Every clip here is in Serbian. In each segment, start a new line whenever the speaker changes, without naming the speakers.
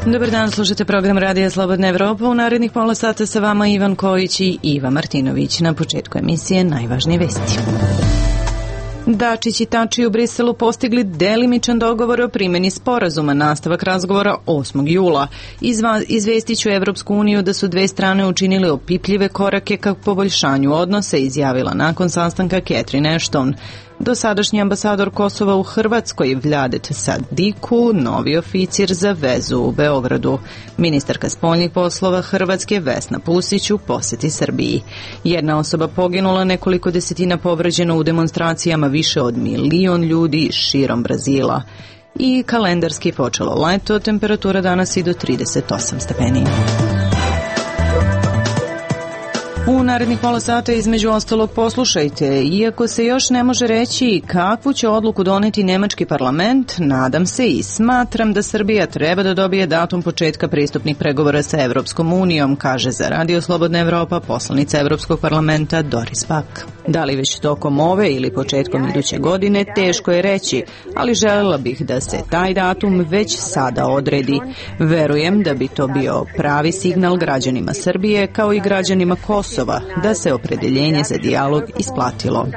Dobar dan, slušate program Radija Slobodna Evropa. U narednih pola sata sa vama Ivan Kojić i Iva Martinović. Na početku emisije najvažnije vesti. Dačić i Tači u Briselu postigli delimičan dogovor o primjeni sporazuma, nastavak razgovora 8. jula. Izvestiću Evropsku uniju da su dve strane učinile opipljive korake ka poboljšanju odnose, izjavila nakon sastanka Catherine Ashton. Dosadašnji ambasador Kosova u Hrvatskoj Vladet Sadiku, novi oficir za vezu u Beogradu. Ministarka spoljnih poslova Hrvatske Vesna Pusić u poseti Srbiji. Jedna osoba poginula, nekoliko desetina povređeno u demonstracijama, više od 1 milion ljudi širom Brazila. I kalendarski počelo leto, temperatura danas i do 38 stepeni. U narednih pola sata između ostalog poslušajte, iako se još ne može reći kakvu će odluku doneti nemački parlament, nadam se i smatram da Srbija treba da dobije datum početka pristupnih pregovora sa Evropskom unijom, kaže za Radio Slobodna Evropa poslanica Evropskog parlamenta Doris Pak. Da li već tokom ove ili početkom iduće godine, teško je reći, ali željela bih da se taj datum već sada odredi. Verujem da bi to bio pravi signal građanima Srbije kao i građanima Kosova da se opredeljenje za dijalog isplatilo.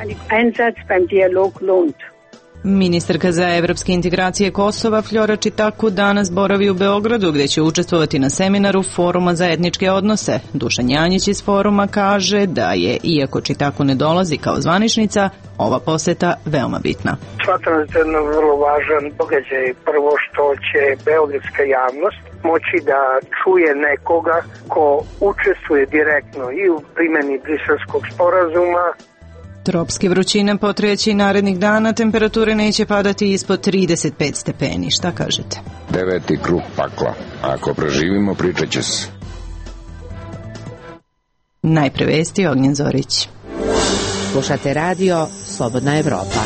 Ministarka za evropske integracije Kosova Fljora Čitaku danas boravi u Beogradu gdje će učestvovati na seminaru Foruma za etničke odnose. Dušan Janjić iz foruma kaže da je, iako Čitaku ne dolazi kao zvaničnica, ova poseta veoma bitna.
Smatram da je to vrlo važan događaj. Prvo što će beogradska javnost moći da čuje nekoga ko učestvuje direktno i u primjeni Briselskog sporazuma.
Tropske vrućine potreći narednih dana, temperature neće padati ispod 35 stepeni. Šta kažete?
9. krug pakla. Ako preživimo, pričat će se.
Najpre vesti, Ognjen Zorić.
Slušate radio Slobodna Evropa.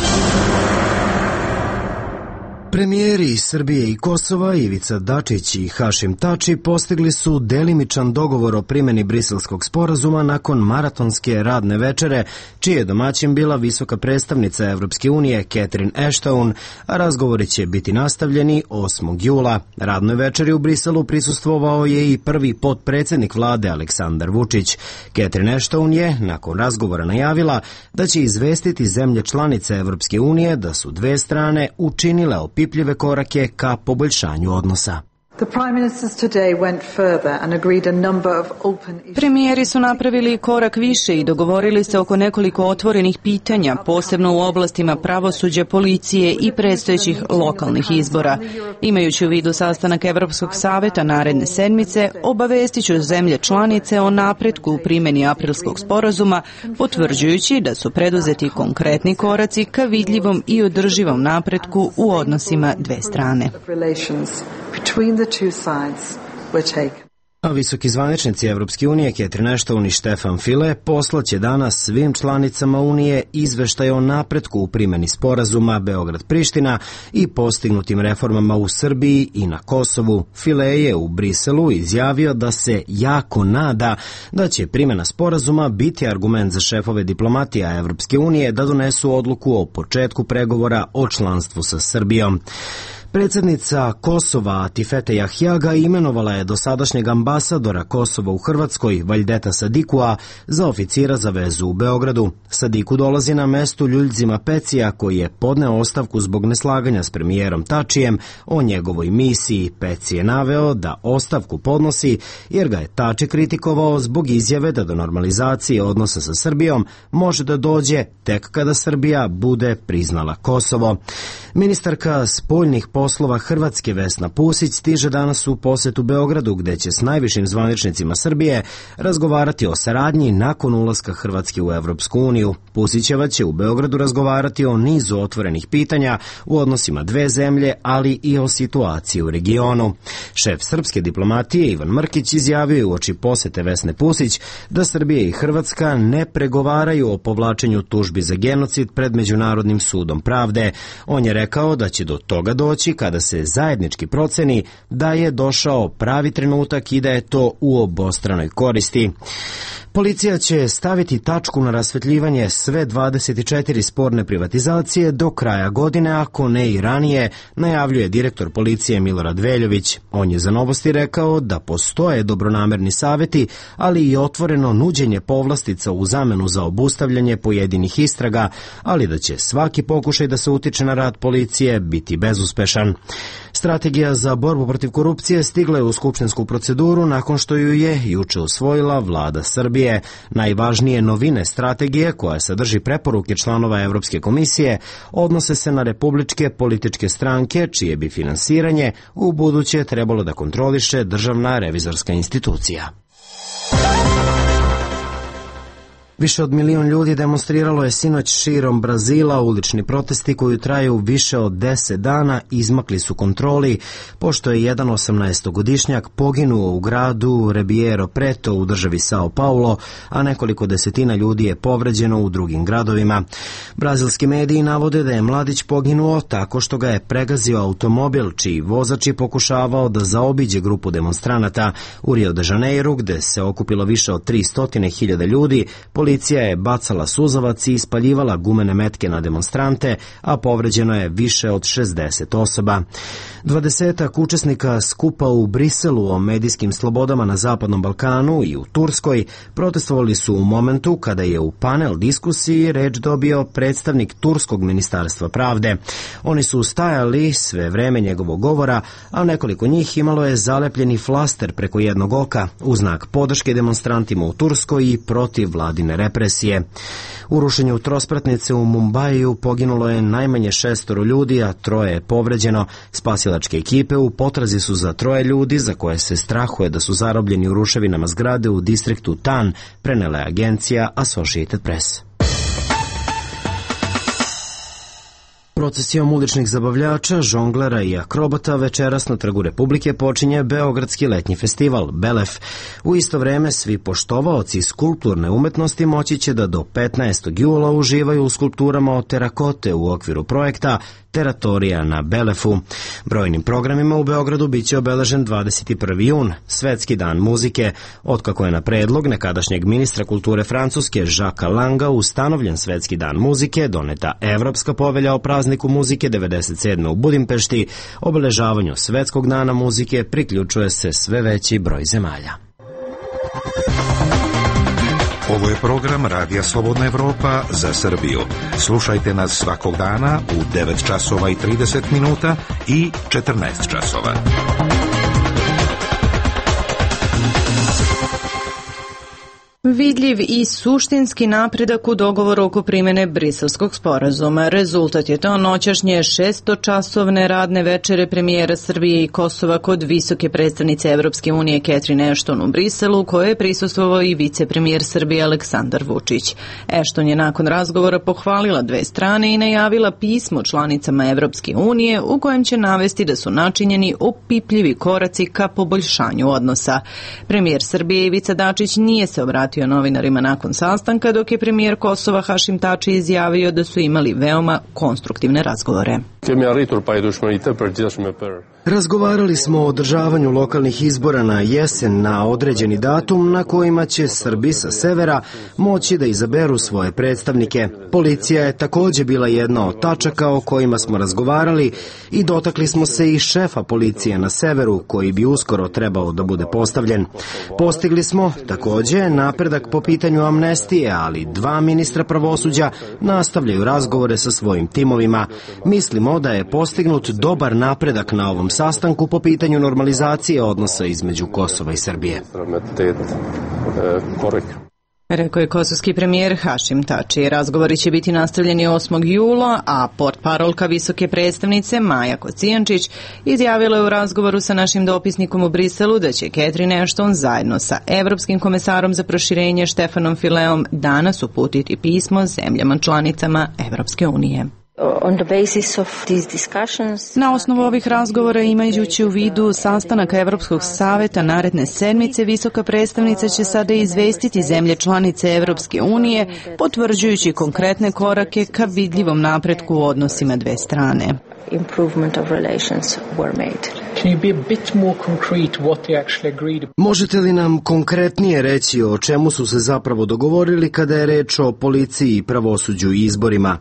Premijeri Srbije i Kosova Ivica Dačić i Hašim Tači postigli su delimičan dogovor o primjeni Briselskog sporazuma nakon maratonske radne večere, čiji je domaćin bila visoka predstavnica Evropske unije Catherine Ashton, a razgovori će biti nastavljeni 8. jula. Radnoj večeri u Briselu prisustvovao je i prvi potpredsjednik vlade Aleksandar Vučić. Catherine Ashton je nakon razgovora najavila da će izvestiti zemlje članice Evropske unije da su dve strane učinile opipljive korake ka poboljšanju odnosa.
Premijeri su napravili korak više i dogovorili se oko nekoliko otvorenih pitanja, posebno u oblastima pravosuđa, policije i predstojećih lokalnih izbora. Imajući u vidu sastanak Evropskog saveta naredne sedmice, obavestiću zemlje članice o napretku u primjeni aprilskog sporazuma, potvrđujući da su preduzeti konkretni koraci ka vidljivom i održivom napretku u odnosima dve strane.
A visoki zvaničnici Evropske unije Catherine Ashton i Stefan Füle poslaće danas svim članicama Unije izveštaj o napretku u primjeni sporazuma Beograd-Priština i postignutim reformama u Srbiji i na Kosovu. Füle je u Briselu izjavio da se jako nada da će primjena sporazuma biti argument za šefove diplomatija Evropske unije da donesu odluku o početku pregovora o članstvu sa Srbijom. Predsjednica Kosova Atifete Jahjaga imenovala je dosadašnjeg ambasadora Kosova u Hrvatskoj, Vajdeta Sadikua, za oficira za vezu u Beogradu. Sadiku dolazi na mestu Ljuljzima Pecija, koji je podneo ostavku zbog neslaganja s premijerom Tačijem o njegovoj misiji. Peci je naveo da ostavku podnosi jer ga je Tači kritikovao zbog izjave da do normalizacije odnosa sa Srbijom može da dođe tek kada Srbija bude priznala Kosovo. Ministarka spoljnih poslova Hrvatske Vesna Pusić stiže danas u posetu Beogradu, gde će s najvišim zvaničnicima Srbije razgovarati o saradnji nakon ulaska Hrvatske u Evropsku uniju. Pusićeva će u Beogradu razgovarati o nizu otvorenih pitanja u odnosima dve zemlje, ali i o situaciji u regionu. Šef srpske diplomatije Ivan Mrkić izjavio je uoči posete Vesne Pusić da Srbija i Hrvatska ne pregovaraju o povlačenju tužbi za genocid pred Međunarodnim sudom pravde. On je rekao da će do toga doći kada se zajednički proceni da je došao pravi trenutak i da je to u obostranoj koristi. Policija će staviti tačku na rasvetljivanje sve 24 sporne privatizacije do kraja godine, ako ne i ranije, najavljuje direktor policije Milorad Veljović. On je za Novosti rekao da postoje dobronamerni saveti, ali i otvoreno nuđenje povlastica u zamenu za obustavljanje pojedinih istraga, ali da će svaki pokušaj da se utiče na rad policije biti bezuspešan. Strategija za borbu protiv korupcije stigla je u skupštinsku proceduru nakon što ju je juče usvojila vlada Srbije. Najvažnije novine strategije, koja sadrži preporuke članova Evropske komisije, odnose se na republičke političke stranke, čije bi finansiranje u buduće trebalo da kontroliše Državna revizorska institucija. Više od 1 milion ljudi demonstriralo je sinoć širom Brazila. Ulični protesti koji traju više od 10 dana izmakli su kontroli, pošto je jedan 18-godišnjak poginuo u gradu Ribeirão Preto u državi Sao Paulo, a nekoliko desetina ljudi je povređeno u drugim gradovima. Brazilski mediji navode da je mladić poginuo tako što ga je pregazio automobil, čiji vozač je pokušavao da zaobiđe grupu demonstranata. U Rio de Janeiro, gde se okupilo više od 300.000 ljudi, policija je bacala suzavac i ispaljivala gumene metke na demonstrante, a povređeno je više od 60 osoba. 20-ak učesnika skupa u Briselu o medijskim slobodama na Zapadnom Balkanu i u Turskoj protestovali su u momentu kada je u panel diskusiji reč dobio predstavnik Turskog ministarstva pravde. Oni su stajali sve vreme njegovog govora, a nekoliko njih imalo je zalepljeni flaster preko jednog oka u znak podrške demonstrantima u Turskoj i protiv vladine represije. U rušenju trospratnice u Mumbaiju poginulo je najmanje 6 ljudi, a 3 je povređeno. Spasilačke ekipe u potrazi su za 3 ljudi za koje se strahuje da su zarobljeni u ruševinama zgrade u distriktu Tan, prenela je agencija Associated Press. Procesijom uličnih zabavljača, žonglera i akrobata večeras na Trgu Republike počinje Beogradski letnji festival Belef. U isto vreme svi poštovaoci skulpturne umetnosti moći će da do 15. jula uživaju u skulpturama od terakote u okviru projekta Teratorija na Belefu. Brojnim programima u Beogradu biće obeležen 21. jun, Svetski dan muzike. Otkako je na predlog nekadašnjeg ministra kulture Francuske Jacquesa Langa ustanovljen Svetski dan muzike, doneta Evropska povelja o prazniku muzike 97. u Budimpešti, obeležavanju Svetskog dana muzike priključuje se sve veći broj zemalja.
Ovo je program Radija Slobodna Evropa za Srbiju. Slušajte nas svakog dana u 9 časova i 30 minuta i 14 časova.
Vidljiv i suštinski napredak u dogovoru oko primjene Briselskog sporazuma. Rezultat je to noćašnje 600-časovne radne večere premijera Srbije i Kosova kod visoke predstavnice Evropske unije Catherine Ashton u Briselu, koje je prisustvovao i vicepremijer Srbije Aleksandar Vučić. Ashton je nakon razgovora pohvalila dve strane i najavila pismo članicama Evropske unije u kojem će navesti da su načinjeni opipljivi koraci ka poboljšanju odnosa. Premijer Srbije Ivica Dačić nije se obratio novinarima nakon sastanka, dok je premijer Kosova Hašim Tači izjavio da su imali veoma konstruktivne razgovore.
Razgovarali smo o održavanju lokalnih izbora na jesen na određeni datum na kojima će Srbi sa severa moći da izaberu svoje predstavnike. Policija je također bila jedna od tačaka o kojima smo razgovarali i dotakli smo se i šefa policije na severu, koji bi uskoro trebao da bude postavljen. Postigli smo također napredak po pitanju amnestije, ali 2 ministra pravosuđa nastavljaju razgovore sa svojim timovima. Mislimo da je postignut dobar napredak na ovom sastanku po pitanju normalizacije odnosa između Kosova i Srbije.
Rekao je kosovski premijer Hašim Tači. Razgovori će biti nastavljeni 8. jula, a portparolka visoke predstavnice Maja Kocijančić izjavila je u razgovoru sa našim dopisnikom u Briselu da će Catherine Ashton zajedno sa Evropskim komesarom za proširenje Štefanom Fileom danas uputiti pismo zemljama članicama Evropske unije. Na osnovu ovih razgovora, imajući u vidu sastanak Evropskog saveta naredne sedmice, visoka predstavnica će sada izvestiti zemlje članice Evropske unije, potvrđujući konkretne korake ka vidljivom napretku u odnosima dve strane.
Možete li nam konkretnije reći o čemu su se zapravo dogovorili kada je reč o policiji i pravosuđu i izborima?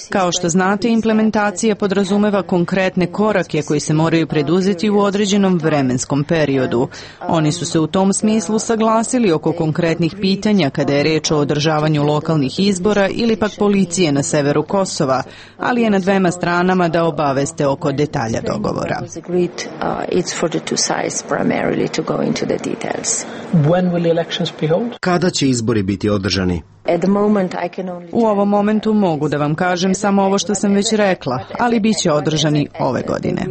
Kao što znate, implementacija podrazumeva konkretne korake koji se moraju preduzeti u određenom vremenskom periodu. Oni su se u tom smislu saglasili oko konkretnih pitanja kada je reč o održavanju lokalnih izbora ili pak policije na severu Kosova, ali je na dvema stranama da obaveste oko detalja dogovora.
Kada će izbori biti održani?
U ovom momentu mogu da vam kažem samo ovo što sam već rekla, ali bit će održani ove godine.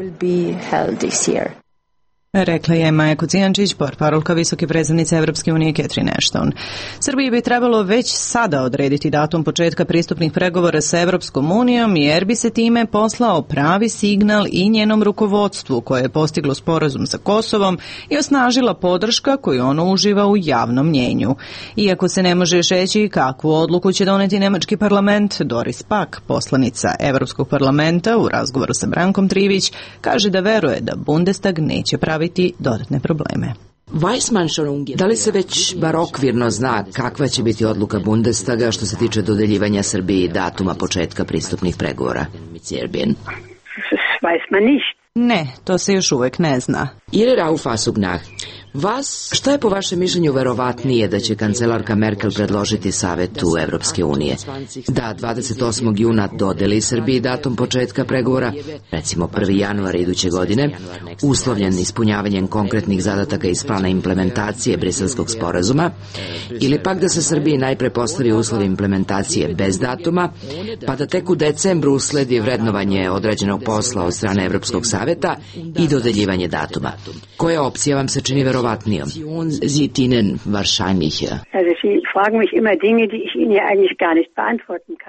Rekla je Maja Kocijančić, portparolka visoke predstavnice Evropske unije Catherine Ashton. Srbiji bi trebalo već sada odrediti datum početka pristupnih pregovora sa Evropskom unijom, jer bi se time poslao pravi signal i njenom rukovodstvu koje je postiglo sporazum sa Kosovom i osnažila podrška koju ono uživa u javnom mnjenju. Iako se ne može još reći kakvu odluku će doneti nemački parlament, Doris Pack, poslanica Evropskog parlamenta, u razgovoru sa Brankom Trivić, kaže da veruje da Bundestag neće praviti dodatne probleme.
Da li se već bar okvirno zna kakva će biti odluka Bundestaga što se tiče dodeljivanja Srbiji datuma početka pristupnih pregovora?
Ne, to se još uvek ne zna.
Šta je po vašem mišljenju verovatnije da će kancelarka Merkel predložiti Savetu Evropske unije? Da 28. juna dodeli Srbiji datum početka pregovora, recimo 1. januar iduće godine, uslovljen ispunjavanjem konkretnih zadataka iz plana implementacije Briselskog sporazuma, ili pak da se Srbiji najpre postavi uslov implementacije bez datuma, pa da tek u decembru usledi vrednovanje odrađenog posla od strane Evropskog saveta i dodeljivanje datuma. Koja opcija vam se čini verovatnijom?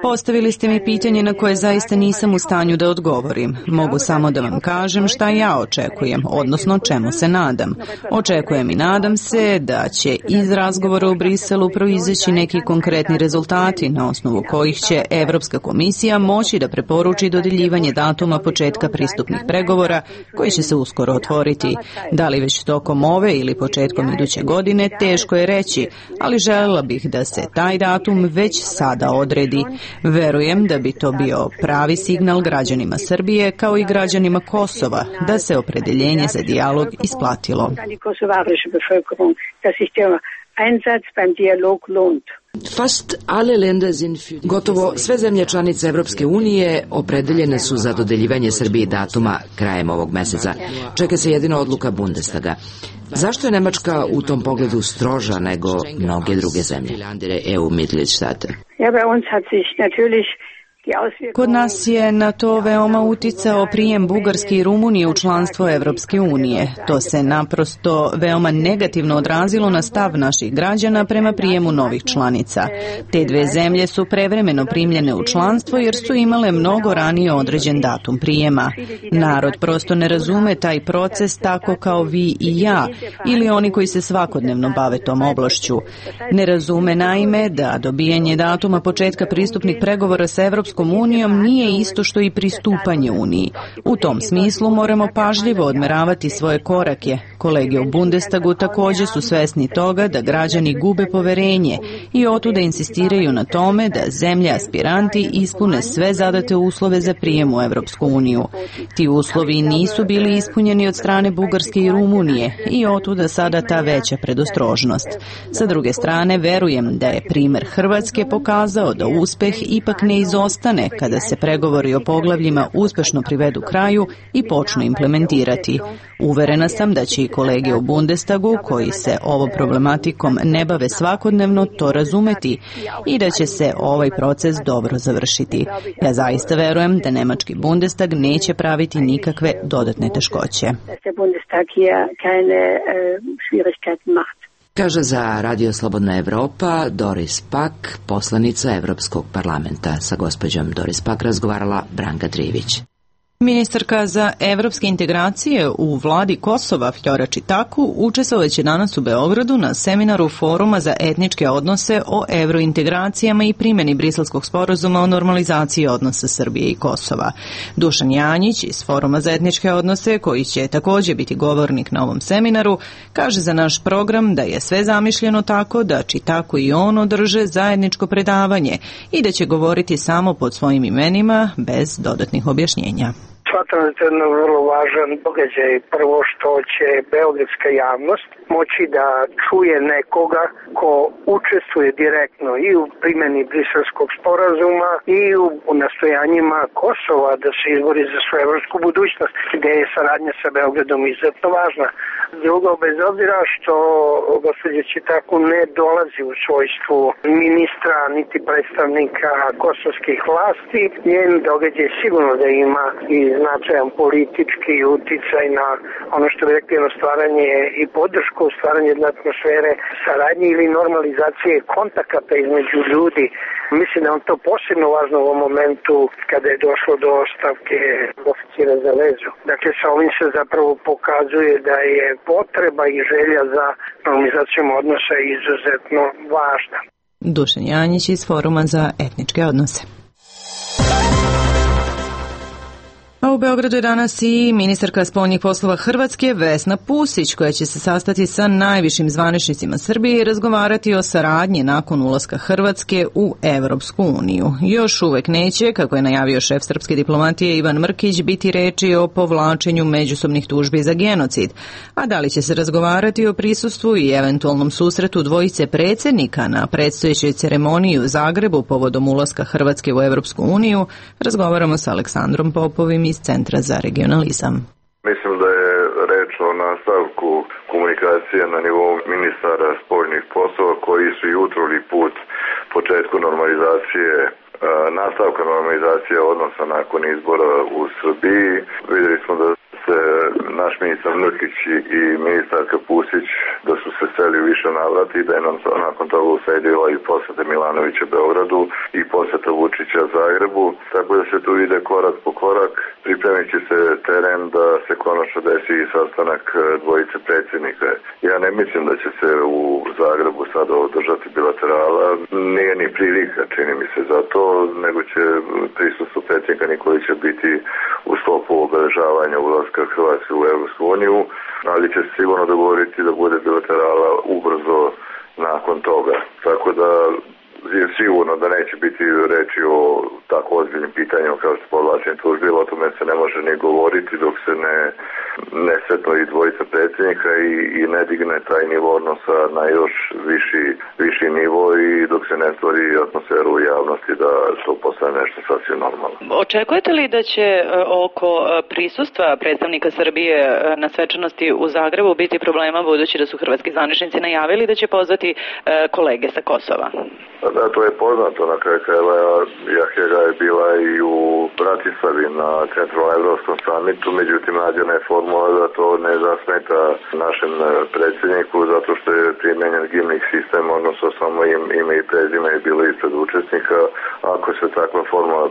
Postavili ste mi pitanje na koje zaista nisam u stanju da odgovorim. Mogu samo da vam kažem šta ja očekujem, odnosno čemu se nadam. Očekujem i nadam se da će iz razgovora u Briselu proizaći neki konkretni rezultati na osnovu kojih će Evropska komisija moći da preporuči dodeljivanje datuma početka pristupnih pregovora koji će se uskoro otvoriti. Da li već tokom ove ili početkom iduće godine, teško je reći, ali željela bih da se taj datum već sada odredi. Verujem da bi to bio pravi signal građanima Srbije kao i građanima Kosova da se opredeljenje za dijalog isplatilo.
Gotovo sve zemlje članice Evropske unije opredeljene su za dodeljivanje Srbiji datuma krajem ovog meseca. Čeka se jedino odluka Bundestaga. Zašto je Nemačka u tom pogledu stroža nego mnoge druge zemlje?
Kod nas je na to veoma uticao prijem Bugarske i Rumunije u članstvo Evropske unije. To se naprosto veoma negativno odrazilo na stav naših građana prema prijemu novih članica. Te dve zemlje su prevremeno primljene u članstvo jer su imale mnogo ranije određen datum prijema. Narod prosto ne razume taj proces tako kao vi i ja ili oni koji se svakodnevno bave tom oblašću. Ne razume naime da dobijanje datuma početka pristupnih pregovora sa Evropskom unijom nije isto što i pristupanje Uniji. U tom smislu moramo pažljivo odmeravati svoje korake. Kolege u Bundestagu također su svesni toga da građani gube poverenje i otuda insistiraju na tome da zemlje aspiranti ispune sve zadate uslove za prijem u Evropsku uniju. Ti uslovi nisu bili ispunjeni od strane Bugarske i Rumunije i otuda sada ta veća predostrožnost. Sa druge strane, verujem da je primer Hrvatske pokazao da uspeh ipak ne izostane kada se pregovori o poglavljima uspešno privedu kraju i počnu implementirati. Uverena sam da će i kolege u Bundestagu, koji se ovom problematikom ne bave svakodnevno, to razumeti i da će se ovaj proces dobro završiti. Ja zaista verujem da nemački Bundestag neće praviti nikakve dodatne teškoće.
Kaže za Radio Slobodna Evropa Doris Pak, poslanica Evropskog parlamenta. Sa gospođom Doris Pak razgovarala Branka Trivić.
Ministarka za evropske integracije u vladi Kosova Fjora Čitaku učestvovaće danas u Beogradu na seminaru Foruma za etničke odnose o evrointegracijama i primjeni Briselskog sporazuma o normalizaciji odnosa Srbije i Kosova. Dušan Janjić iz Foruma za etničke odnose, koji će također biti govornik na ovom seminaru, kaže za naš program da je sve zamišljeno tako da Čitaku i on održe zajedničko predavanje i da će govoriti samo pod svojim imenima bez dodatnih objašnjenja.
Smatram da je to jedan vrlo važan događaj. Prvo što će beogradska javnost moći da čuje nekoga ko učestvuje direktno i u primjeni Briselskog sporazuma i u nastojanjima Kosova da se izbori za svoju evropsku budućnost, gde je saradnja sa Beogradom izuzetno važna. Drugo, bez obzira što gospođa Čitaku ne dolazi u svojstvu ministra niti predstavnika kosovskih vlasti, njen događaj sigurno da ima i značajan politički uticaj na ono što bi rekli na stvaranje i podršku, stvaranje jedne atmosfere saradnje ili normalizacije kontakata između ljudi. Mislim da je to posebno važno u ovom momentu kada je došlo do ostavke oficira za vezu. Dakle, sa ovim se zapravo pokazuje da je potreba i želja za normalizacijom odnosa izuzetno važna.
Dušan Janjić iz Foruma za etničke odnose. A u Beogradu je danas i ministarka spoljnih poslova Hrvatske Vesna Pusić, koja će se sastati sa najvišim zvaničnicima Srbije i razgovarati o saradnji nakon ulaska Hrvatske u Evropsku uniju. Još uvek neće, kako je najavio šef srpske diplomatije Ivan Mrkić, biti reči o povlačenju međusobnih tužbi za genocid. A da li će se razgovarati o prisustvu i eventualnom susretu dvojice predsjednika na predstojećoj ceremoniji u Zagrebu povodom ulaska Hrvatske u Evropsku uniju, razgovaramo sa Aleksandrom Popovim iz Centra za regionalizam.
Mislim da je reč o nastavku komunikacije na nivou ministara spoljnih poslova koji su i utruli put početku normalizacije, nastavka normalizacije odnosa nakon izbora u Srbiji. Vidjeli smo da se naš ministar Mrkić i ministarka Pusić da su se seli više navrati i da je nam nakon toga usledila i posjeta Milanovića Beogradu i posjeta Vučića Zagrebu, tako da se tu ide korak po korak. Pripremit će se teren da se konačno desi i sastanak dvojice predsjednika. Ja ne mislim da će se u Zagrebu sada održati bilaterala, nije ni prilika, čini mi se za to, nego će prisustvo predsjednika Nikolića biti u sklopu obeležavanja ulaska Hrvatske u Evropsku uniju, ali će se sigurno dogovoriti da bude bilaterala ubrzo nakon toga. Tako da je sigurno da neće biti reči o tako ozbiljnim pitanjima kao što povlačenje tužbi, o tome se ne može ni govoriti dok se ne setno i dvojica predsjednika i ne digne taj nivo odnosa na još viši nivo i dok se ne stvori atmosferu u javnosti da to postane nešto sasvim normalno.
Očekujete li da će oko prisustva predstavnika Srbije na svečanosti u Zagrebu biti problema, budući da su hrvatski zvaničnici najavili da će pozvati kolege sa Kosova?
Da, to je poznato. Na kraju krajeva Jahjega je bila i u Bratislavi na Centralno-Evropskom samitu, međutim nađena je formula da to ne zasmeta našem predsjedniku zato što je primjenjen gimnik sistem, odnosno samo ime i prezime je bilo ispred učesnika. Ako se takva formula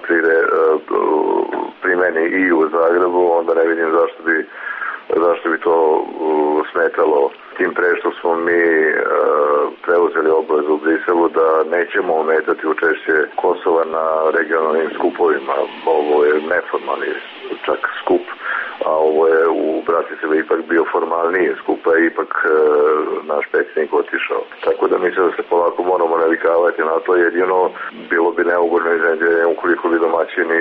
primeni i u Zagrebu, onda ne vidim zašto bi to smetalo. Tim pre što smo mi preuzeli obavezu u Briselu da nećemo ometati učešće Kosova na regionalnim skupovima. Ovo je neformalni čak skup, a ovo je u Bratislavi ipak bio formalniji skup, a ipak naš predsjednik otišao. Tako da mislim da se polako moramo navikavati na to, jedino bilo bi neugodno iznenađenje ukoliko bi domaćini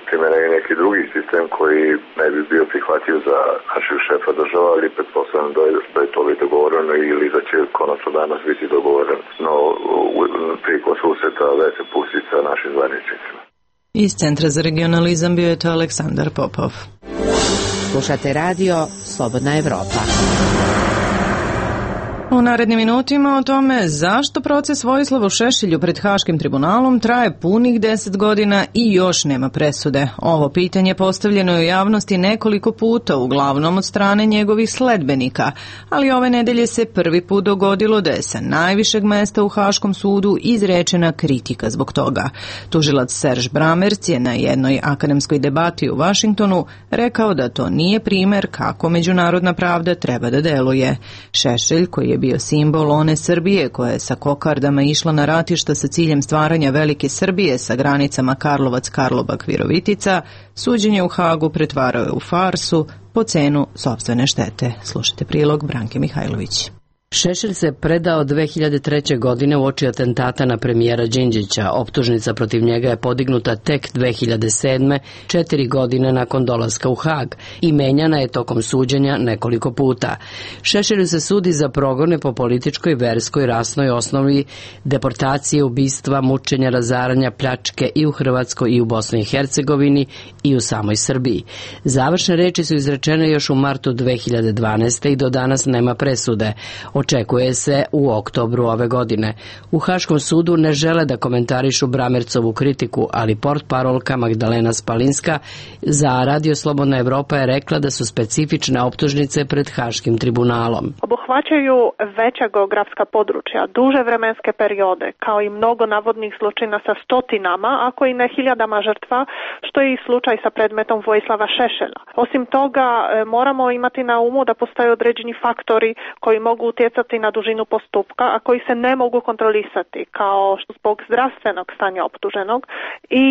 primenili neki drugi sistem koji ne bi bio prihvatljiv za našeg šefa država, ali pretpostavljam da je to bi dogovoreno ili da će konačno danas biti dogovoreno. No, prilikom susreta Vesne Pusić sa našim zvaničnicima.
Iz Centra za regionalizam bio je to Aleksandar Popov.
Slušate radio Slobodna Evropa.
U narednim minutima o tome zašto proces Vojislavu Šešelju pred Haškim tribunalom traje punih 10 godina i još nema presude. Ovo pitanje postavljeno je u javnosti nekoliko puta, uglavnom od strane njegovih sledbenika, ali ove nedelje se prvi put dogodilo da je sa najvišeg mesta u Haškom sudu izrečena kritika zbog toga. Tužilac Serž Bramerc je na jednoj akademskoj debati u Vašingtonu rekao da to nije primer kako međunarodna pravda treba da deluje. Šešelj, koji je bio simbol one Srbije koja je sa kokardama išla na ratišta sa ciljem stvaranja velike Srbije sa granicama Karlovac-Karlobag-Virovitica, suđenje u Hagu pretvarao je u farsu po cenu sopstvene štete. Slušajte prilog Branke Mihajlović.
Šešelj se predao 2003. godine uoči atentata na premijera Đinđića. Optužnica protiv njega je podignuta tek 2007. 4 godine nakon dolaska u Hag i menjana je tokom suđenja nekoliko puta. Šešelju se sudi za progone po političkoj, verskoj, rasnoj osnovi, deportacije, ubistva, mučenja, razaranja, pljačke i u Hrvatskoj i u Bosni i Hercegovini i u samoj Srbiji. Završne reči su izrečene još u martu 2012. i do danas nema presude. Očekuje se u oktobru ove godine. U Haškom sudu ne žele da komentarišu Bramercovu kritiku, ali portparolka Magdalena Spalinska za Radio Slobodna Evropa je rekla da su specifične optužnice pred Haškim tribunalom.
Obuhvaćaju veća geografska područja, duže vremenske periode, kao i mnogo navodnih zločina sa stotinama, ako i ne hiljadama žrtva, što je i slučaj sa predmetom Vojislava Šešelja. Osim toga, moramo imati na umu da postoje određeni faktori koji mogu utjecati na dužinu postupka, a koji se ne mogu kontrolisati, kao zbog zdravstvenog stanja optuženog. I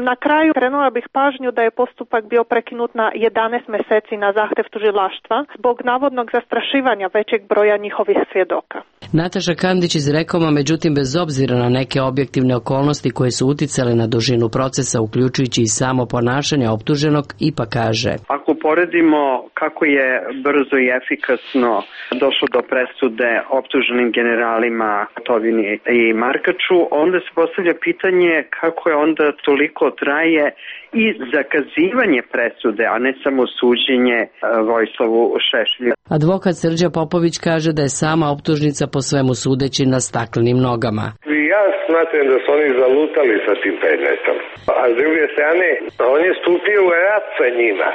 na kraju krenula bih pažnju da je postupak bio prekinut na 11 mjeseci na zahtev tužilaštva zbog navodnog zastrašivanja većeg broja njihovih svjedoka.
Nataša Kandić iz Rekoma, međutim, bez obzira na neke objektivne okolnosti koje su uticale na dužinu procesa, uključujući i samo ponašanje optuženog, ipak kaže:
Ako poredimo kako je brzo i efikasno došlo do presude optuženim generalima Tovini i Markaču, onda se postavlja pitanje kako je onda toliko traje i zakazivanje presude, a ne samo suđenje Vojislavu Šešelju.
Advokat Srđa Popović kaže da je sama optužnica po svemu sudeći na staklenim nogama.
Ja smatram da su oni zalutali sa tim predmetom. A s druge strane, on je stupio u rat sa njima.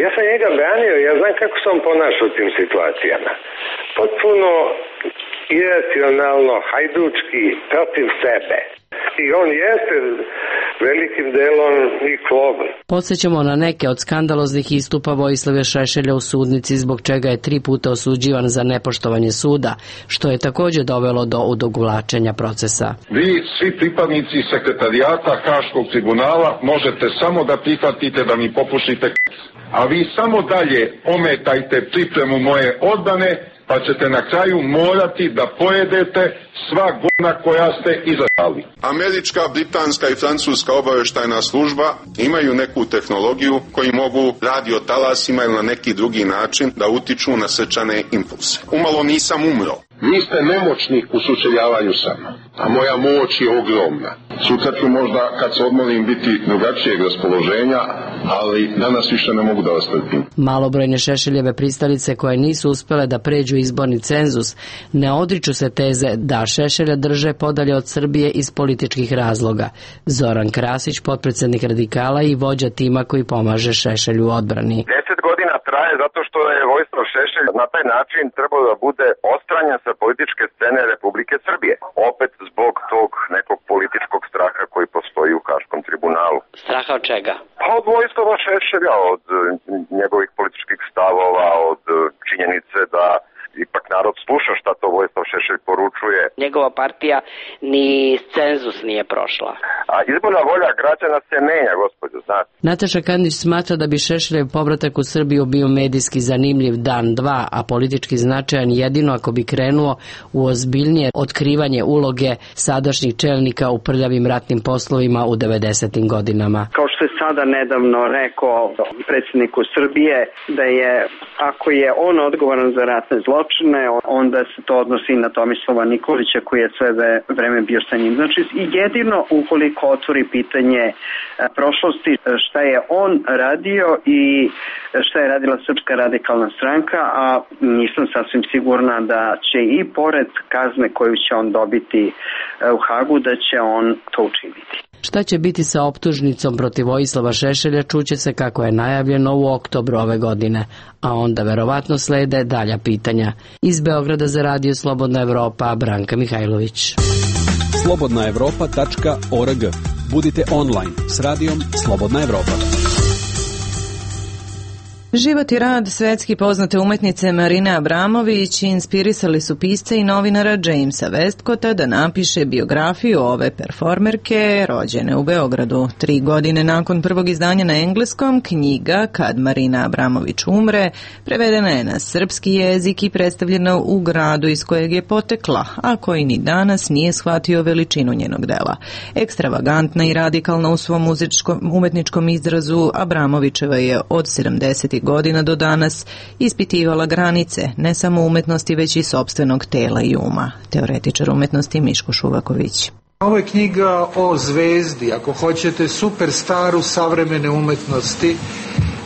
Ja sam njega branio, ja znam kako se on ponaša u tim situacijama. Potpuno iracionalno, hajdučki, protiv sebe. I on jeste velikim delom i klogon.
Podsjećamo na neke od skandaloznih istupa Vojislava Šešelja u sudnici, zbog čega je 3 puta osuđivan za nepoštovanje suda, što je također dovelo do odugovlačenja procesa.
Vi, svi pripadnici sekretarijata Haškog tribunala, možete samo da prihvatite da mi popušite, a vi samo dalje ometajte pripremu moje odbrane, pa ćete na kraju morati da pojedete sva govna koja ste izabrali.
Američka, britanska i francuska obavještajna služba imaju neku tehnologiju koji mogu radiotalasima ili na neki drugi način da utiču na srčane impulse. Umalo nisam umro.
Vi ste nemoćni u sučeljavanju sa mnom, a moja moć je ogromna. Sutra ću možda, kad se odmorim, biti drugačijeg raspoloženja, ali danas više ne mogu da vas trpim.
Malobrojne Šešeljeve pristalice koje nisu uspele da pređu izborni cenzus ne odriču se teze da Šešelja drže podalje od Srbije iz političkih razloga. Zoran Krasić, potpredsjednik Radikala i vođa tima koji pomaže Šešelju u odbrani.
10 godina traje zato što je Vojislav Šešelj na taj način trebao da bude odstranjen sa političke scene Republike Srbije. Opet zbog tog nekog političkog straha koji postoji u Haškom tribunalu.
Straha od čega?
Pa od Vojislava Šešelja, od njegovih političkih stavova, od činjenice da ipak narod sluša šta to Vojislav Šešelj poručuje.
Njegova partija ni cenzus nije prošla.
A izborna volja građana se menja, gospođo, znate.
Nataša Kandić smatra da bi Šešeljev povratak u Srbiju bio medijski zanimljiv dan, dva, a politički značajan jedino ako bi krenuo u ozbiljnije otkrivanje uloge sadašnjih čelnika u prljavim ratnim poslovima u 90. godinama.
Kao što što je sada nedavno rekao predsjedniku Srbije, da je, ako je on odgovoran za ratne zločine, onda se to odnosi na Tomislava Nikolića koji je sve vreme bio sa njim. Znači, jedino ukoliko otvori pitanje prošlosti, šta je on radio i šta je radila Srpska radikalna stranka, a nisam sasvim sigurna da će i pored kazne koju će on dobiti u Hagu, da će on to učiniti.
Šta će biti sa optužnicom protiv Vojislava Šešelja čuće se kako je najavljeno u oktobru ove godine, a onda verovatno slede dalja pitanja. Iz Beograda za Radio Slobodna Evropa, Branka Mihajlović.
slobodnaevropa.org. Budite online s radijom Slobodna Evropa.
Život i rad svetski poznate umetnice Marine Abramović inspirisali su pisca i novinara Jamesa Westcota da napiše biografiju ove performerke rođene u Beogradu. 3 godine nakon prvog izdanja na engleskom, knjiga Kad Marina Abramović umre prevedena je na srpski jezik i predstavljena u gradu iz kojeg je potekla, a koji ni danas nije shvatio veličinu njenog dela. Ekstravagantna i radikalna u svom umetničkom izrazu, Abramovićeva je od 70. godina do danas ispitivala granice ne samo umetnosti, već i sopstvenog tela i uma. Teoretičar umetnosti Miško Šuvaković.
Ovo je knjiga o zvezdi, ako hoćete, superstaru savremene umetnosti.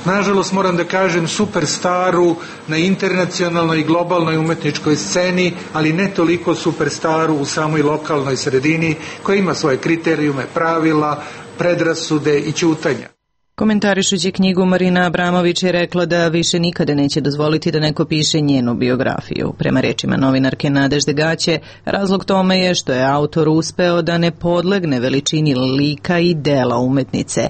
Nažalost, moram da kažem superstaru na internacionalnoj i globalnoj umetničkoj sceni, ali ne toliko superstaru u samoj lokalnoj sredini, koja ima svoje kriterijume, pravila, predrasude i ćutanja.
Komentarišući knjigu, Marina Abramović je rekla da više nikada neće dozvoliti da neko piše njenu biografiju. Prema rečima novinarke Nadežde Gaće, razlog tome je što je autor uspeo da ne podlegne veličini lika i dela umetnice.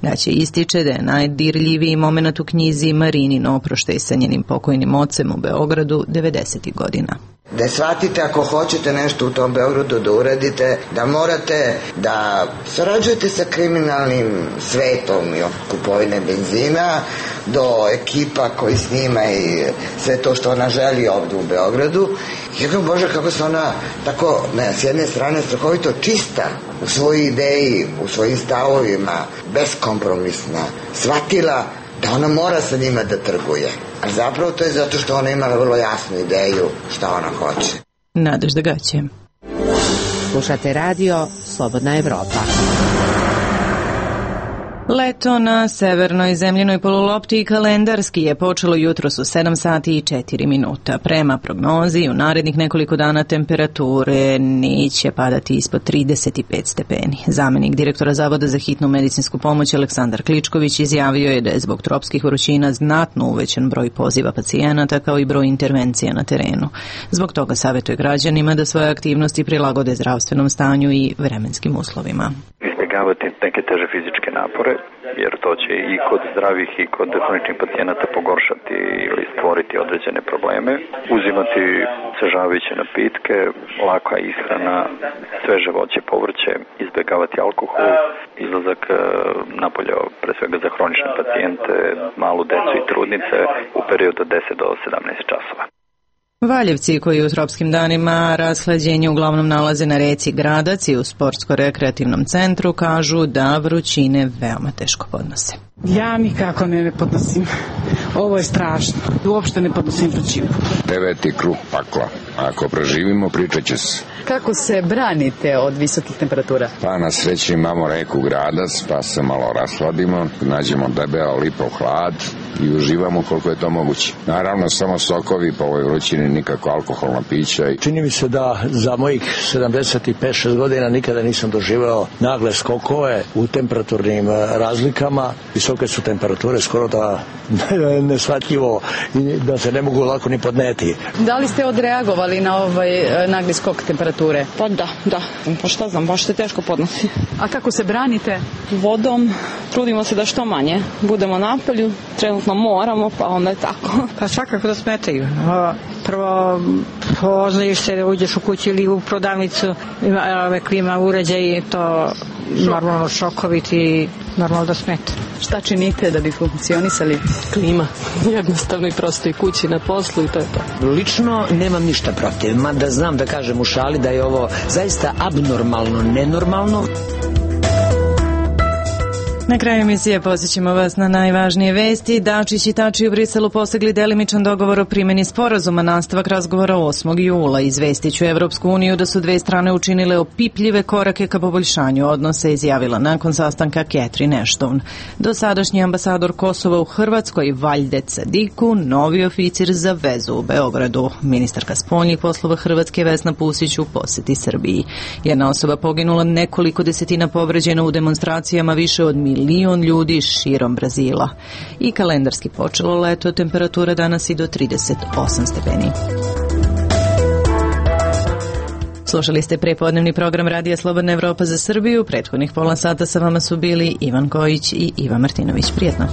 Gaće ističe da je najdirljiviji moment u knjizi Marinin oproštaj sa njenim pokojnim ocem u Beogradu 90. godina.
Da shvatite ako hoćete nešto u tom Beogradu da uradite, da morate da sarađujete sa kriminalnim svetom i kupovine benzina do ekipa koji snima i sve to što ona želi ovdje u Beogradu. Jedno Bože kako se ona tako s jedne strane strahovito čista u svojoj ideji, u svojim stavovima, beskompromisna, shvatila da ona mora sa njima da trguje. A zapravo to je zato što ona imala vrlo jasnu ideju šta ona hoće.
Nadežda Gaće.
Slušate radio Slobodna Evropa.
Leto na severnoj zemljenoj polulopti kalendarski je počelo jutros u 7 sati i 4 minuta. Prema prognozi, u narednih nekoliko dana temperature neće padati ispod 35 stepeni. Zamenik direktora Zavoda za hitnu medicinsku pomoć Aleksandar Kličković izjavio je da je zbog tropskih vrućina znatno uvećan broj poziva pacijenata kao i broj intervencija na terenu. Zbog toga savjetuje građanima da svoje aktivnosti prilagode zdravstvenom stanju i vremenskim uslovima.
Izbjegavati neke teže fizičke napore, jer to će i kod zdravih i kod hroničnih pacijenata pogoršati ili stvoriti određene probleme. Uzimati osvežavajuće napitke, laka ishrana, sveže voće, povrće, izbjegavati alkohol, izlazak napolje pre svega za hronične pacijente, malu decu i trudnice u periodu od 10 do 17 časova.
Valjevci koji u tropskim danima rashlađenje uglavnom nalaze na reci Gradac i u sportsko-rekreativnom centru kažu da vrućine veoma teško podnose.
Ja nikako ne podnosim. Ovo je strašno. Uopšte ne podnosim vrućinu.
9. krug pakla. Ako preživimo, pričat će se.
Kako se branite od visokih temperatura?
Pa na sreći imamo reku Gradac, pa se malo rashladimo, nađemo debeo lipov hlad i uživamo koliko je to moguće. Naravno, samo sokovi po ovoj vrućini, nikako alkoholna pića.
Čini mi se da za mojih 75-6 godina nikada nisam doživeo nagle skokove u temperaturnim razlikama. Visoke su temperature, skoro da neshvatljivo i da se ne mogu lako ni podneti.
Da li ste odreagovali na ovaj nagli skok temperature?
Pa da. Pa šta znam, baš se teško podnosi.
A kako se branite?
Vodom, trudimo se da što manje budemo napolju, trenutno moramo, pa onda je tako.
Pa svakako da smetaju. Prvo oznajiš se da uđeš u kuću ili u prodavnicu, klima uređaj, to normalno šokovi ti normalno da smeta.
Šta činite da bi funkcionisali?
Klima. Jednostavno i prosto i kući na poslu i to je to.
Lično nemam ništa protiv, mada znam da kažem u šali da je ovo zaista abnormalno, nenormalno.
Na kraju emisije posjećamo vas na najvažnije vesti. Dačić i Tači u Briselu postigli delimičan dogovor o primjeni sporazuma, nastavak razgovora 8. jula. Izvestiću Evropsku uniju da su dve strane učinile opipljive korake ka poboljšanju odnosa, izjavila nakon sastanka Catherine Ashton. Dosadašnji ambasador Kosova u Hrvatskoj, Valjde Cadiku, novi oficir za vezu u Beogradu. Ministarka spoljnih poslova Hrvatske Vesna Pusić u poseti Srbiji. Jedna osoba poginula, nekoliko desetina povređena u demonstracijama, više od 1 milion ljudi širom Brazila. I kalendarski počelo leto, temperatura danas i do 38 stepeni. Slušali ste prepodnevni program Radija Slobodna Evropa za Srbiju. Prethodnih pola sata sa vama su bili Ivan Kojić i Iva Martinović. Prijetno.